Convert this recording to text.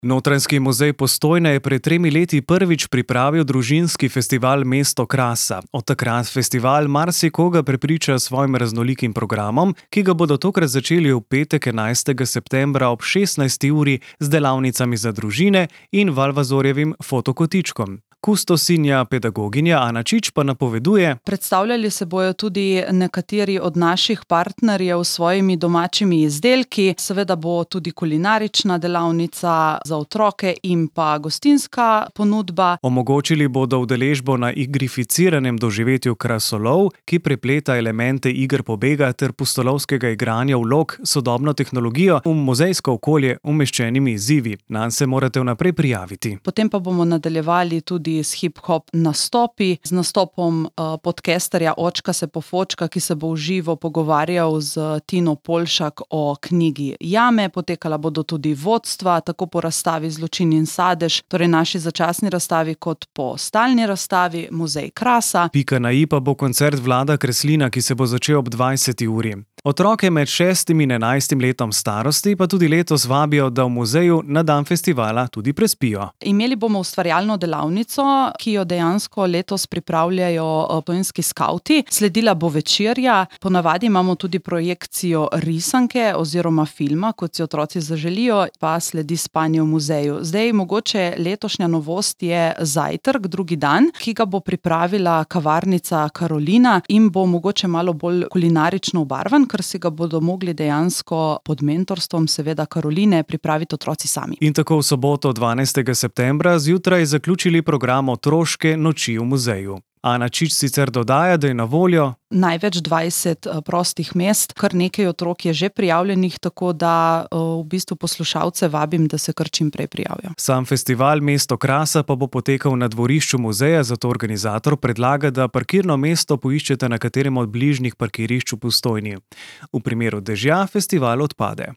Notranjski muzej Postojna je pred 3 leti prvič pripravil družinski festival Mesto krasa. Od takrat festival marsikoga prepriča s svojim raznolikim programom, ki ga bodo tokrat začeli v petek 11. septembra ob 16. uri z delavnicami za družine in Valvazorjevim fotokotičkom. Kustosinja pedagoginja Ana Čič pa napoveduje: predstavljali se bojo tudi nekateri od naših partnerjev s svojimi domačimi izdelki, seveda bo tudi kulinarična delavnica za otroke in pa gostinska ponudba. Omogočili bodo udeležbo na igrificiranem doživetju Krasolov, ki prepleta elemente iger pobega ter pustolovskega igranja vlog s sodobno tehnologijo v muzejsko okolje umeščenimi izzivi. Nanj se morate vnaprej prijaviti. Potem pa bomo nadaljevali tudi s hip-hop nastopi, z nastopom podcasterja Očka se pofočka, ki se bo v živo pogovarjal z Tino Polšak o knjigi Jame. Potekala bodo tudi vodstva, tako po razstavi Zločin in sadež, torej naši začasni razstavi, kot po stalni razstavi Muzej krasa. Pika na i pa bo koncert Vlada Kreslina, ki se bo začel ob 20. uri. Otroke med 6. in 11. letom starosti pa tudi letos vabijo, da v muzeju na dan festivala tudi prespijo. Imeli bomo ustvarjalno delavnico, ki jo dejansko letos pripravljajo postojnski skavti. Sledila bo večerja, ponavadi imamo tudi projekcijo risanke oziroma filma, kot si otroci zaželijo, pa sledi spanje v muzeju. Zdaj, mogoče letošnja novost je zajtrk, drugi dan, ki ga bo pripravila kavarnica Karolina in bo mogoče malo bolj kulinarično obarvan, ker si ga bodo mogli dejansko pod mentorstvom seveda Karoline pripraviti otroci sami. In tako v soboto 12. septembra zjutraj zaključili program Otroške noči v muzeju. Ana Čič sicer dodaja, da je na voljo največ 20 prostih mest, kar nekaj otrok je že prijavljenih, tako da v bistvu poslušalce vabim, da se kar čim prej prijavijo. Sam festival Mesto krasa pa bo potekal na dvorišču muzeja, zato organizator predlaga, da parkirno mesto poiščete na katerem od bližnjih parkirišč v Postojni. V primeru dežja festival odpade.